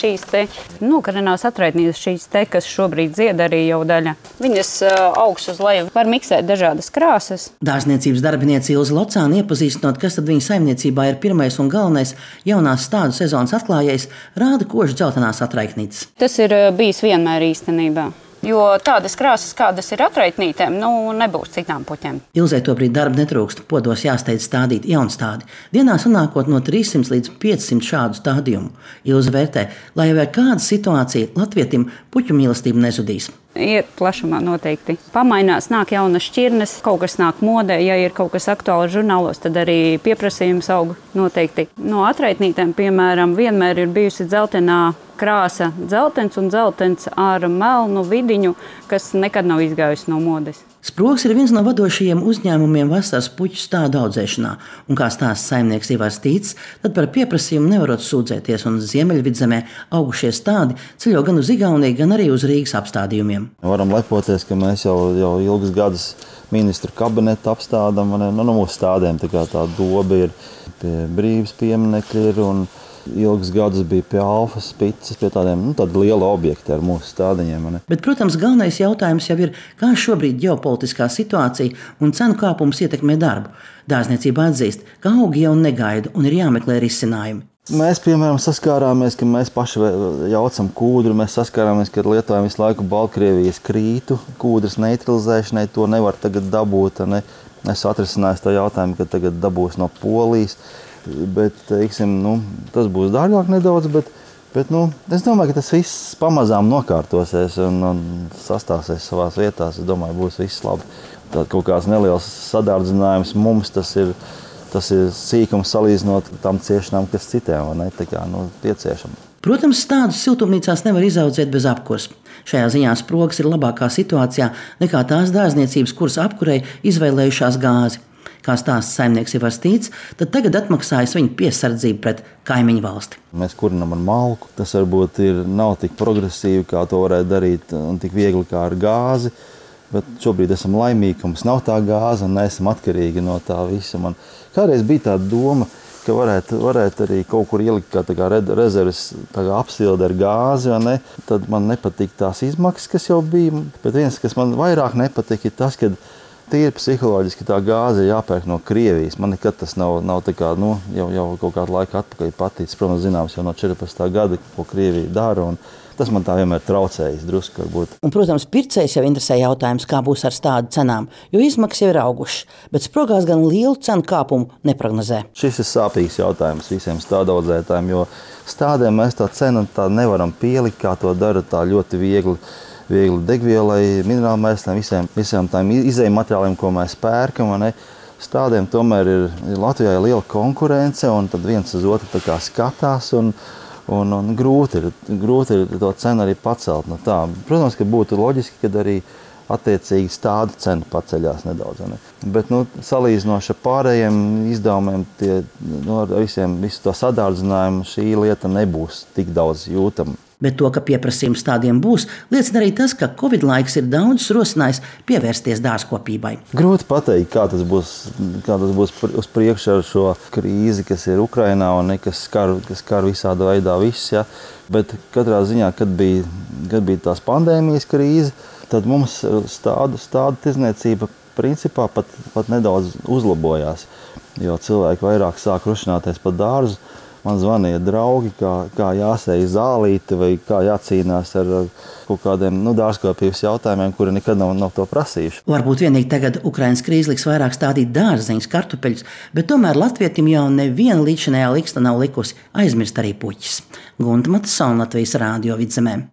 šīs te nokarinās atraitnītes, šīs te, kas šobrīd zied arī jau daļa. Viņas augsts uz leju var miksēt dažādas krāsas. Dārzniecības darbiniece Ilze Locāne iepazīstinot, kas tad viņa saimniecībā ir pirmais un galvenais jaunās stādu sezonas atklājējs, rāda kožu dzeltenās atraitnītes. Tas ir bijis vienmēr īstenībā. Jo tādas krāsas, kādas ir atraitnītēm, nebūs citām puķēm. Ilzei tobrīd darba netrūkst, podos jāsteidz stādīt jaunstādi. Dienā sanākot no 300 līdz 500 šādu stādījumu. Ilze vērtē, lai jau ir kāda situācija, latvietim puķu mīlestība nezudīs. Ir plašumā noteikti. Pamainās, nāk jaunas šķirnes, kaut kas nāk modē. Ja ir kaut kas aktuāls žurnālos, tad arī pieprasījums aug noteikti. No atraitnītēm, piemēram, vienmēr ir bijusi dzeltenā krāsa, dzeltens un dzeltens ar melnu vidiņu, kas nekad nav izgājusi no modes. Sprogs ir viens no vadošajiem uzņēmumiem vasaras puķu stādu audzēšanā, un kā stāsta saimnieks Ivars Tīts, tad par pieprasījumu nevarot sūdzēties, un Ziemeļvidzemē augušie stādi ceļo gan uz Igauniju, gan arī uz Rīgas apstādījumiem. Varam lepoties, ka mēs jau ilgus gadus ministru kabinetu apstādām, mūsu stādiem tā doba ir pie Brīvības pieminekļa ir, un ilgus gadus bija pie Alfas, Spicas, pie tādiem liela objekti ar mūsu stādiņiem. Bet, protams, galvenais jautājums jau ir, kā šobrīd ģeopolitiskā situācija un cenu kāpums ietekmē darbu. Dārzniecība atzīst, ka augi jau negaida un ir jāmeklē risinājumi. Mēs, piemēram, saskārāmies, ka mēs paši jaucam kūdru, mēs saskārāmies, ka lietojam visu laiku Baltkrievijas krītu, kūdras neutralizēšanai, to nevar tagad dabūt. Es atrisināju to jautājumu, ka tagad dabūs no Polijas. Bet, teiksim, tas būs dārgāk nedaudz, bet es domāju, ka tas viss pamazām nokārtosies un sastāsies savās vietās. Es domāju, būs viss labi. Tad kaut kāds neliels sadārdzinājums mums tas ir sīkums salīdzinot tam ciešanām, kas citiem pieciešama. Protams, stādus siltumnīcās nevar izaudzēt bez apkurs. Šajā ziņā Sprogs ir labākā situācijā nekā tās dārzniecības, kuras apkurei izvēlējušās gāzi. Kā stāsta saimnieks Ivars Tīts, tad tagad atmaksājas viņa piesardzību pret kaimiņu valsti. Mēs kurinam ar malku. Tas varbūt nav tik progresīvi, kā to varētu darīt, un tik viegli kā ar gāzi. Bet šobrīd esam laimīgi, ka mums nav tā gāze un neesam atkarīgi no tā visa. Man kādreiz bija tā doma, ka varētu arī kaut kur ielikt kā rezerves apsildi ar gāzi. Tad man nepatīk tās izmaksas, kas jau bija. Bet viens, kas man vairāk nepatīk, ir tas, ka tīri psiholoģiski tā gāze ir jāpērk no Krievijas. Man nekad tas nav tā kā, jau kaut kādu laiku atpakaļ paticis. Protams, zināms jau no 14. gada, ko Krievija dara, un tas man tā vienmēr traucējis drusku varbūt. Un, protams, pircējs jau interesē jautājums, kā būs ar stādu cenām, jo izmaksas jau ir augušas, bet Sprogās gan lielu cenu kāpumu neprognozē. Šis ir sāpīgs jautājums visiem stādaudzētājiem, jo stādēm mēs tā cenu nevaram pielikt, kā to dara tā ļoti viegli degvielai, minerālmēsliem, visiem tām izējuma materiāliem, ko mēs pērkam. Stādiem tomēr ir Latvijā liela konkurence, un tad viens uz otru skatās, un grūti ir to cenu arī pacelt. Protams, ka būtu loģiski, kad arī attiecīgi stādu cena paceļās nedaudz. Bet salīdzinoši ar pārējiem izdevumiem, visu to sadārdzinājumu, šī lieta nebūs tik daudz jūtama. Bet to, ka pieprasījums stādiem būs, liecina arī tas, ka Covid laiks ir daudz rosinājis pievērsties dārzkopībai. Grūti pateikt, kā tas būs uz priekšu ar šo krīzi, kas ir Ukrainā un kas skar visādā veidā visus. Ja? Bet katrā ziņā, kad bija tās pandēmijas krīze, tad mums stādu tirdzniecība principā pat nedaudz uzlabojās, jo cilvēki vairāk sāk rušināties pa dārzu. Man zvanīja draugi, kā jāsēj zālīti vai kā jācīnās ar kaut kādiem dārzkopības jautājumiem, kuri nekad nav to prasījuši. Varbūt vienīgi tagad Ukrainas krīze liks vairāk stādīt dārzeņus, kartupeļus, bet tomēr latvietim jau neviena līdzinējā liksta nav likusi aizmirst arī puķis. Gunta Matsona, Latvijas Rādio Vidzemē.